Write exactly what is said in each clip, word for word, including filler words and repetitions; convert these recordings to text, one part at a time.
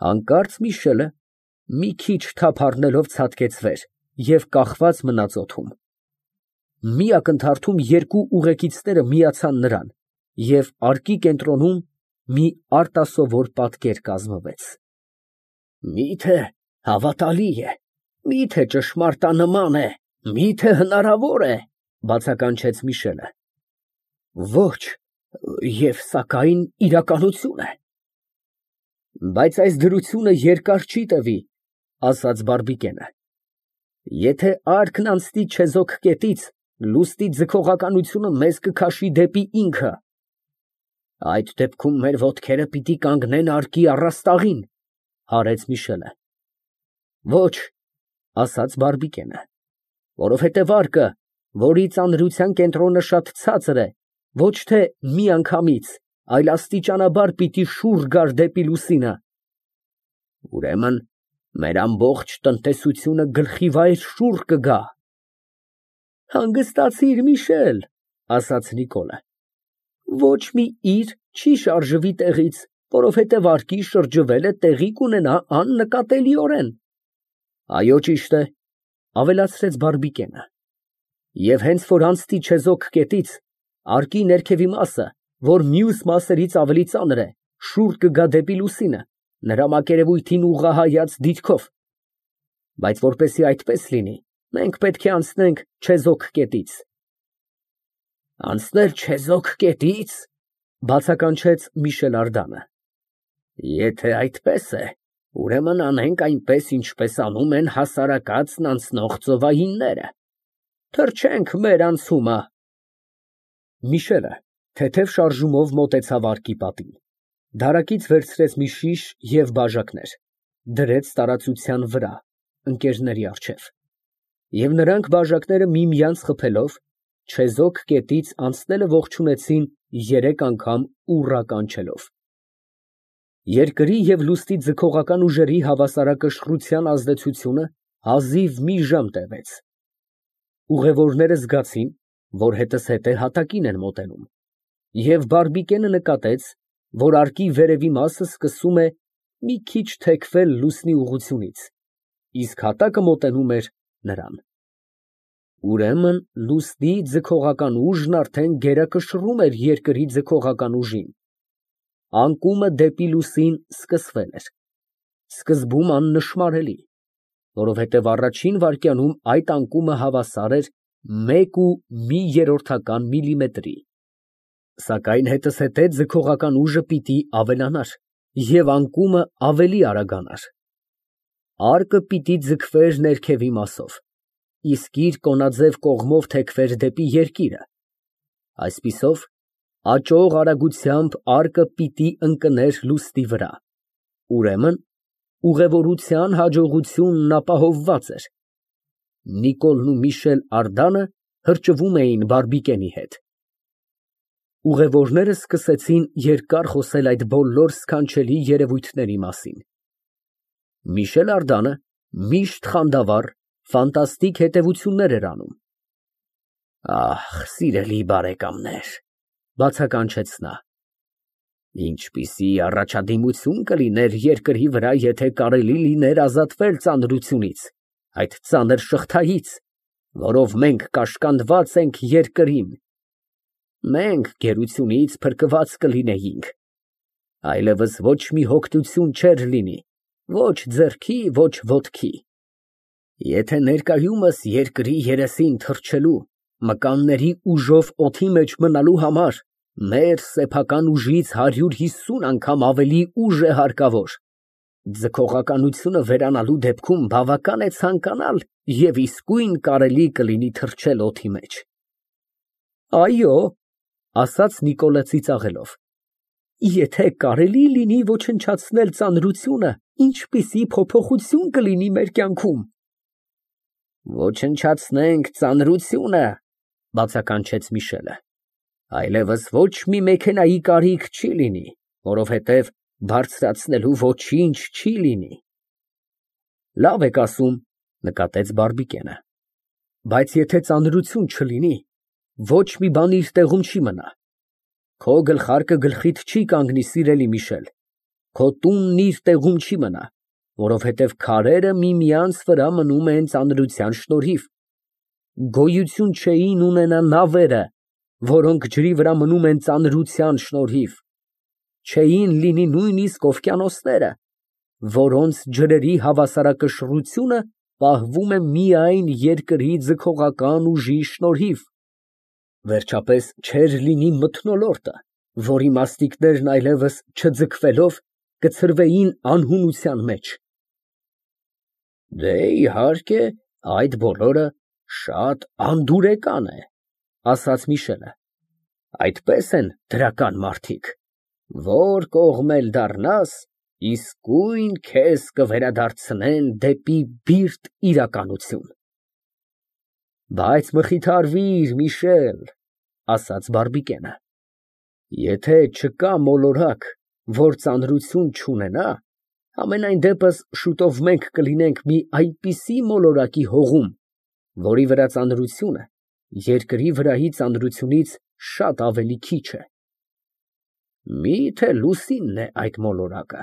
Հանկարծ Միշելը մի քիչ թափ առնելով ցատկեց վեր և կախված մնաց օդում։ Մի ակնթարթում երկու ուղեկիցները միացան նրան, և արկի կենտրոնում մի արտասովոր պատկեր կազմվեց։ Մի՞թե հավատալի է, մի՞թե ճշմարտանման է, մի՞թե հնարավոր է, բացականչեց Միշելը։ Ոչ, և սակայն իրականություն է։ Բայց այս դրությունը երկար չի տևի, ասաց բարբիկենը։ Եթեարկն անցնի չեզոք կետից, լուսնի ձգողականությունը մեզ կքաշի դեպի ինքը։ Այդ դեպքում մեր ոտքերը պիտի կանգնեն արկի առաստաղին, հարեց Միշելը։ Ոչ, ասաց բարբիկենը, որովհետև արկը, որի ծանրության կենտրոնը շատ ցածր է, ոչ թե միանգամից, այլ աստիճանաբար պիտի շուռ գար դեպի լուսինը։ Ուրեմն մեր ամբողջ տնտեսությունը գլխիվայր շուռ կգա։ Հանգստացիր, Միշել, ասաց Նիկոլը, ոչ մի իր չի շարժվի տեղից, որովհետև արկի շրջվելը տեղի կունենա աննկատելիորեն։ Այո, ճիշտ է, ավելացրեց բարբիկենը, և հենց որ անցնի չեզոք կետից, արկի ներքևի մասը, որ մյուս մասերից ավելի ծանր է, շուռ կգա դեպի լուսինը, նրա մակերևույթին ուղղահայաց դիրքով։ Բայց որպեսզի այդպես լինի, մենք պետք է անցնենք չեզոք կետից։ Անցնել չեզոք կետի՞ց, բացականչեց Միշել Ардանը։ Եթե այդպես է, ուրեմն անենք այնպես, ինչպես անում են հասարակածն անցնող ծովայինները, թրջենք մեր անցումը։ Միշելը թեթև շարժումով մոտեցավ արկի պատին, դարակից վերցրեց մի շիշ և բաժակներ, դրեց տարածության վրա, ընկերների առջև, և նրանք բաժակները միմյանց խփելով, չեզոք կետից անցնելը ողջունեցին երեք անգամ ուռա կանչելով։ Երկրի և լուսնի ձգողական ուժերի հավասարակշռության ազդեցությունը հազիվ մի ժամ տևեց։ Ուղևորները զգացին, որ հետզհետե հատակին են մոտենում, և բարբիկենը նկատեց, որ արկի վերևի մասը սկսում է մի քիչ թեքվել լուսնի ուղղությունից, իսկ հատակը մոտենում էր նրան։ Ուրեմն լուսնի ձգողական ուժն արդեն գերակշռում էր երկրի ձգողական ուժին։ Անկումը դեպի լուսին սկսվել էր, սկզբում աննշմարելի, որովհետև առաջին վայրկյանում այդ անկումը հավասար էր մեկ ու մի երրորդական միլիմետրի, սակայն հետզհետե ձգողական ուժը պիտի ավելանար և անկումը ավելի արագանար։ Արկը պիտի ձգվեր ներքևի մասով, իսկ իր կոնաձև կողմով թեքվեր դեպի երկիրը, այսպիսով, աճող արագությամբ արկը պիտի ընկներ լուսնի վրա, ուրեմն ուղևորության հաջողությունն ապահովված էր։ Նիկոլն ու Միշել Ардանը հրճվում էին բարբիկենի հետ։ Ուղևորները սկսեցին երկար խոսել այդ բոլոր սքանչելի երևույթների մասին։ Միշել Ардանը միշտ խանդավառ, ֆանտաստիկ հետևություններ էր անում։ Ահ, սիրելի բարեկամներ, բացականչեց նա, ինչպիսի առաջադիմություն կլիներ երկրի վրա, եթե կարելի լիներ ազատվել ծանրությունից, այդ ծանր շղթայից, որով մենք կաշկանդված ենք երկրին։ Մենք գերությունից փրկված կլինեինք, այլևս ոչ մի հոգնություն չէր լինի, ոչ ձեռքի, ոչ ոտքի։ Եթե ներկայումս երկրի երեսին թռչելու, մկանների ուժով օդի մեջ մնալու համար մեր սեփական ուժից հարյուր հիսուն անգամ ավելի ուժ է հարկավոր, ձգողականությունը վերանալու դեպքում բավական է ցանկանալ և իսկույն կարելի կլինի թռչել օդի մեջ։ Այո, ասաց Նիկոլը ծիծաղելով, եթե կարելի լինի ոչնչացնել ծանրությունը, ինչպիսի փոփոխություն կլինի մեր կյանքում։ Ոչնչացնենք ծանրությունը, բացականչեց Միշելը, այլևս ոչ մի մեքենայի կարիք չի լինի, որովհետև բարձրացնելու ոչինչ չի լինի։ Լավ եք ասում, նկատեց բարբիկենը, բայց եթե ծանրություն չլինի, ոչ մի բան իր տեղում չի մնա։ Քո գլխարկը գլխիդ չի կանգնի, սիրելի Միշել, Քո տունն իր տեղում չի մնա, որովհետև քարերը միմյանց վրա մնում են ծանրության շնորհիվ, գոյություն չէին ունենա նավերը, որոնք ջրի վրա մնում են ծանրության շնորհիվ, չէին լինի նույնիսկ օվկիանոսները, որոնց ջրերի հավասարակշռությունը պահվում է միայն երկրի ձգողական ուժի շնորհիվ, վերջապես չէր լինի մթնոլորտը, որի մասնիկներն այլևս չձգվելով կցրվեին անհունության մեջ։ Դե, իհարկե, այդ բոլորը շատ անդուրեկան է, ասաց Միշելը, այդպես են դրական մարդիկ, որ կողմ էլ դառնաս, իսկույն քեզ կվերադարձնեն դեպի բիրտ իրականություն։ Բայց մխիթարվիր, Միշել, ասաց Բարբիկենը, եթե չկա մոլորակ, որ ծանրություն չունենա, համենայն դեպս շուտով մենք կլինենք մի այնպիսի մոլորակի հողում, որի վրա ծանրությունը երկրի վրայի ծանրությունից շատ ավելի քիչ է։ Մի՞թե Լուսինն է այդ մոլորակը։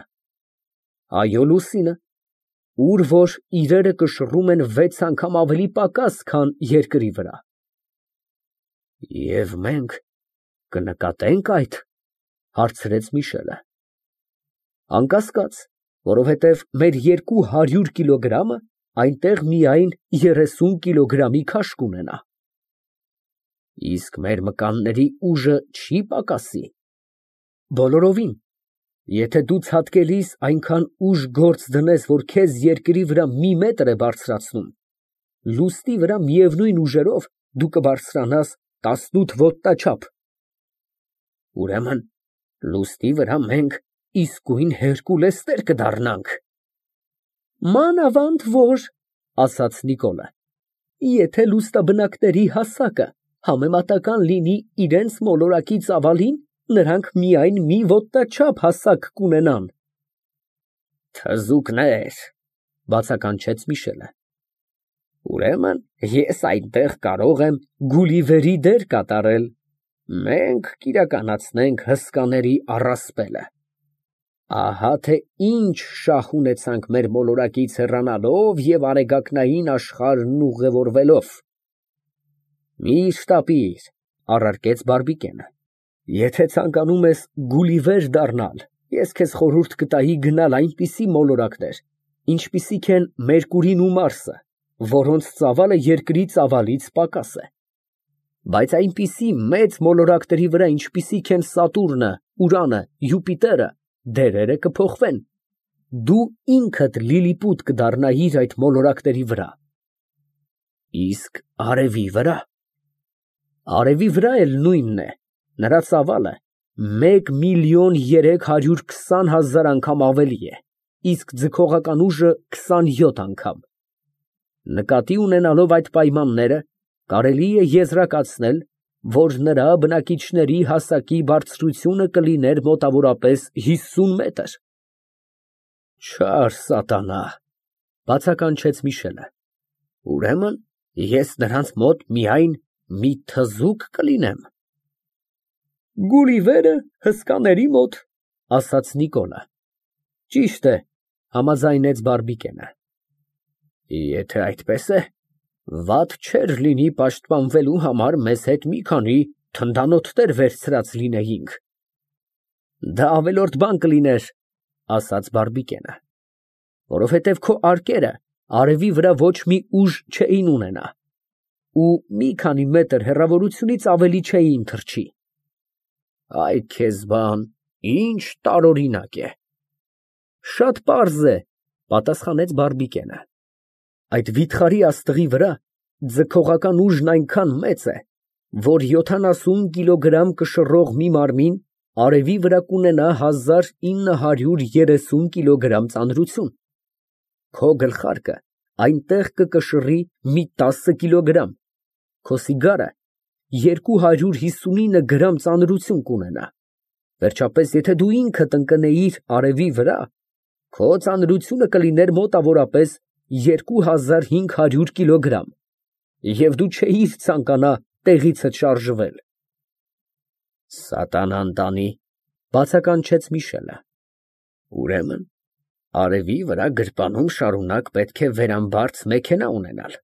Այո, Լուսինը, ուր որ իրերը կշռում են վեց անգամ ավելի պակաս, քան երկրի վրա։ Եվ մենք կնկատե՞նք այդ, հարցրեց Միշելը։ Անկասկած, որովհետև մեր երկու հարյուր կիլոգրամը այնտեղ միայն երեսուն կիլոգրամի քաշ կունենա։ Իսկ մեր մկանների ուժը չի պակասի։ Բոլորովին, եթե դու ցատկելիս այնքան ուժ գործ դնես, որ քեզ երկրի վրա մի մետր է բարձրացնում, լուսնի վրա միևնույն ուժերով դու կբարձրանաս տասնութ ոտնաչափ։ Ուրեմն լուսնի վրա մենք իսկույն Հերկուլեսներ կդառնանք։ Մանավանդ որ, ասաց Նիկոլը, եթե լուսնաբնակների հասակը համեմատական լինի իրենց մոլորակի ծավալին, նրանք միայն մի ոտնաչափ հասակ կունենան։ Թզուկներ, բացականչեց Միշելը։ Ուրեմն ես այնտեղ կարող եմ Գուլիվերի դեր կատարել, մենք կիրականացնենք հսկաների առասպելը։ Ահա թե ինչ շահ ունեցանք մեր մոլորակից հեռանալով և արեգակնային աշխարհն ուղևորվելով։ Միշտ շտապիր, առարկեց Բարբիկենը, եթե ցանկանում ես Գուլիվեր դառնալ, ես քեզ խորհուրդ կտայի գնալ այնպիսի մոլորակներ, ինչպիսիք են Մերկուրին ու Մարսը, որոնց ծավալը երկրի ծավալից պակաս է։ Բայց այնպիսի մեծ մոլորակների վրա, ինչպիսիք են Սատուրնը, Ուրանը, Յուպիտերը, դերերը կփոխվեն, դու ինքդ լիլիպուտ կդառնայիր այդ մոլորակների վրա։ Իսկ արևի վրա։ Արևի վրա էլ նույնն է, նրա ծավալը մեկ միլիոն երեք հարյուր քսան հազար անգամ ավելի է, իսկ ձգողական ուժը քսանյոթ անգամ։ Նկատի ունենալով այդ պայմանները, կարելի է եզրակացնել, որ նրա բնակիչների հասակի բարձրությունը կլիներ մոտավորապես հիսուն մետր։ Չար սատանա, բացականչեց Միշելը, ուրեմն ես նրանց մոտ միայն մի թզուկ կլինեմ։ Գուլիվերը հսկաների մոտ, ասաց Նիկոլը։ Ճիշտ է, համաձայնեց Բարբիկենը։ Եթե այդպես է, վատ չէր լինի պաշտպանվելու համար մեզ հետ մի քանի թնդանոթներ վերցրած լինեինք։ Դա ավելորդ բան կլիներ, ասաց Բարբիկենը, որովհետև քո արկերը արևի վրա ոչ մի ուժ չէին ունենա, ու մի քանի մետր հեռավորությունից ավելի չէին թռչի։ Այ քեզ բան, ինչ տարօրինակ է։ Շատ պարզ է, պատասխանեց Բարբիկենը։ Այդ վիթխարի աստղի վրա ձգողական ուժն այնքան մեծ է, որ յոթանասուն կիլոգրամ կշռող մի մարմին արևի վրա կունենա հազար ինը հարյուր երեսուն կիլոգրամ ծանրություն։ Քո գլխարկը այնտեղ կկշռի մի տասը կիլոգրամ, քո սիգարը երկու հարյուր հիսունինը գրամ ծանրություն կունենա։ Վերջապես, եթե դու ինքդ ընկնեիր արևի վրա, քո ծանրությունը կլիներ մոտավորապես երկու հազար հինգ հարյուր կիլոգրամ, և դու չէիր ցանկանա տեղիցդ շարժվել։ Սատանան տանի, բացականչեց Միշելը։ Ուրեմն արևի վրա գրպանում շարունակ պետք է վերամբարձ մեքենա ունենալ։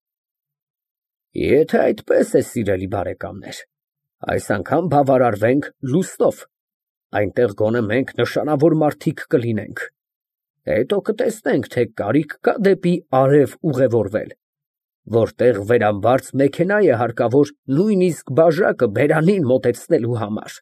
Եթե այդպես է, սիրելի բարեկամներ, այս անգամ բավարարվենք լուստով, այնտեղ գոնե մենք նշանավոր մարդիկ կլինենք, հետո կտեսնենք, թե կարիք կա դեպի արև ուղևորվել, որտեղ վերամբարձ մեքենա է հարկավոր նույնիսկ բաժակը բերանին մոտեցնելու համար։